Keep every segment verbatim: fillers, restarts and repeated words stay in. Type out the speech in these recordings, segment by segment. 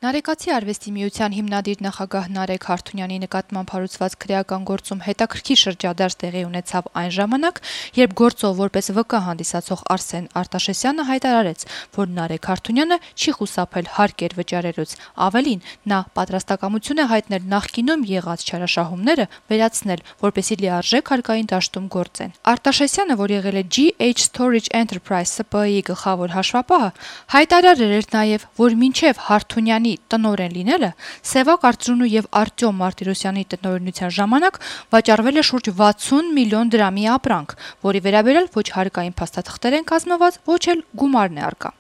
Նարեկացի արվեստի միության հիմնադիր նախագահ Նարեկ Հարթունյանի նկատմամբ հարուցված քրեական գործում հետաքրքիր շրջադարձ տեղի ունեցավ այն ժամանակ, երբ գործով որպես վկա հանդիսացող Արսեն Արտաշեսյանը հայտարարեց, որ Նարեկ Հարթունյանը չի խուսափել հարկեր վճարելուց, ավելին, նա պատրաստակամություն է հայտնել նախկինում եղած չարաշահումները վերացնել, որպեսզի լիարժեք հարկային դաշտում գործեն։ Արտաշեսյանը, որ եղել է G H Storage Enterprise S P A-ի գլխավոր հաշվապահը, հայտարարել էր նաև, որ մինչև Հարթունյանի տնօրեն լինելը Սևակ Արծրունու եւ Արտյոմ Մարտիրոսյանի տնօրենության ժամանակ վաճառվել է շուրջ վաթսուն միլիոն դրամի ապրանք, որի վերաբերյալ ոչ հարկային փաստաթղթեր են կազմված, ոչ էլ գումարն է առկա։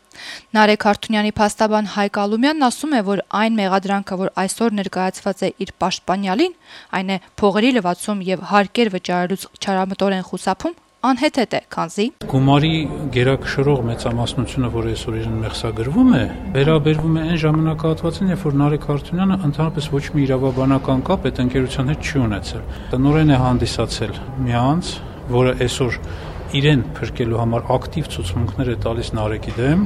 Նարեկ Հարթունյանի փաստաբան Հայկ Ալումյանն ասում է, որ այն մեղադրանքը, որ այսօր ներկայացված է իր պաշտպանյալին, այն է փողերի լվացում եւ հարկեր վճարելուց չարամտորեն խուսափում, անհեթեթ է, քանզի գումարի գերակշռող մեծամասնությունը, որ այսօր իրեն մեղսագրվում է, վերաբերվում է այն ժամանակահատվածին, երբ որ Նարեկ Հարթունյանը ընդհանրապես ոչ մի իրավաբանական կապ այդ ընկերության հետ չի ունեցել։ Տնօրեն է հանդիսացել մի անձ, որը այսօր իրեն փրկելու համար ակտիվ ցուցմունքներ է տալիս Նարեկի դեմ,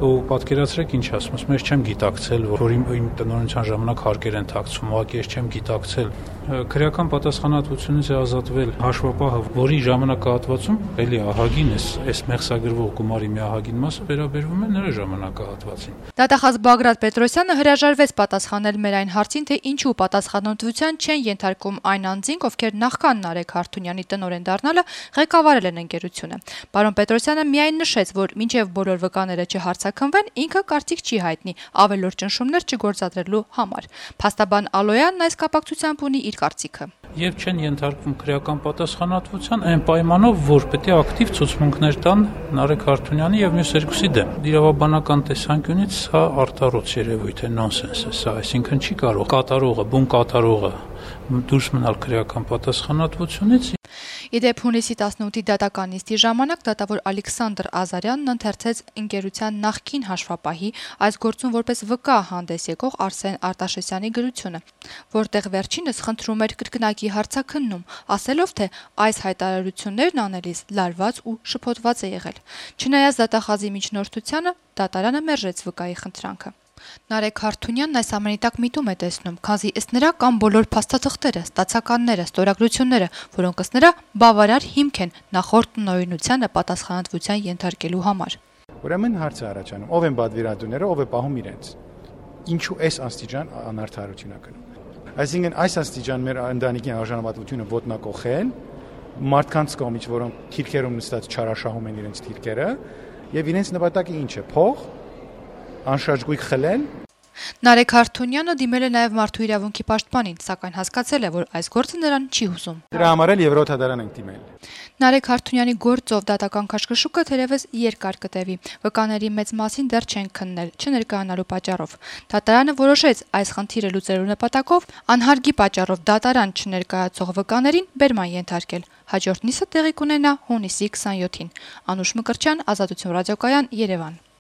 ու պատկերացրեք ինչ ասում, ասում ես չեմ գիտակցել, որ իմ տնօրենության ժամանակ հարկեր են թաքցվում, ուղղակի ես չեմ գիտակցել։ Քրեական պատասխանատվությունից է ազատվել հաշվապահը, որի ժամանակահատվածում էլի ահագին էս այս մեղսագրվող գումարի մի ահագին մասը վերաբերվում է նրա ժամանակահատվածին։ Դատախազ Բագրատ Պետրոսյանը հրաժարվեց պատասխանել մեր այն հարցին, թե ինչու պատասխանատվության չեն ենթարկում այն անձինք, ովքեր նախքան Նարեկ Հարթունյանի տնօրեն դառնալը ղեկավարել են ընկերությունը։ Պարոն Պետրոսյանը միայն նշեց, որ մինչև բոլոր վկաները չհարցաքննվեն, ինքը կարծիք չի հայտնի ավելորդ ճնշումներ չգործադրելու համար։ Փաստաբան Ալոյանն այս կապակցությամբ ունի իր կարծիքը։ Եվ չեն ենթարկվում քրեական պատասխանատվության այն պայմանով, որ պետք է ակտիվ ցուցմունքներ տան Նարեկ Հարթունյանի եւ մյուս երկուսի դեմ։ Իրավաբանական տեսանկյունից սա արտառոց երևույթ է, նոնսենս է սա, այսինքն չի կարող կատարողը, բուն կատարողը դուրս մնալ քրեական պատասխանատվությունից։ Իդեպ հունիսի տասնութի դատական նիստի ժամանակ դատավոր Ալեքսանդր Ազարյանն ընթերցեց ընկերության նախկին հաշվապահի այս գործում որպես վկա հանդես եկող Արսեն Արտաշեսյանի գրությունը, որտեղ վերջինս խնդրում էր կրկնակի հարցաքննում, ասելով, թե այս հայտարարություններն անելիս լարված ու շփոթված է եղել։ Չնայած դատախազի միջնորդությանը, դատարանը մերժեց վկայի խնդրանքը։ Նարեկ Հարթունյանն այս ամենի տակ միտում է տեսնում, քանզի ըստ նրա կան բոլոր փաստաթղթերը, ստացականները, ստորագրությունները, որոնք ըստ նրա բավարար հիմք են նախորդ տնօրենությանը պատասխանատվության ենթարկելու համար։ Ուրեմն հարց է առաջանում, ով են բադվիրատուները, ով է պահում իրենց։ Ինչու այս աստիճան անարդարություն է կնում։ Այսինքն այս աստիճան մեր ընտանիքի արժանապատվությունը ոտնակոխել, մարդկանց կողմից, որոնք թիրքերում նստած չարաշահում են իրենց թիրքերը, եւ իրենց նպատակը ինչ է՝ փող, անշարժ գույք խլել։ Նարեկ Հարթունյանը դիմել է նաև մարդու իրավունքի պաշտպանին, սակայն հասկացել է, որ այս գործը նրան չի հուզում։ Դրա համար էլ Եվրոթադարան ենք դիմել։ Նարեկ Հարթունյանի գործով դատական քաշքշուկը թերևս երկար կտևի։ Վկաների մեծ մասին դեռ չեն քննել, չներկայանալու պատճառով։ Դատարանը որոշեց այս խնդիրը լուծելու նպատակով անհարգի պատճառով դատարան չներկայացող վկաներին բերման ենթարկել։ Հաջորդ նիստը տեղի կունենա հունիսի քսաներկուին։ Անուշ Մկրտչյան, Ազատություն ռադիոկայան, Երևան։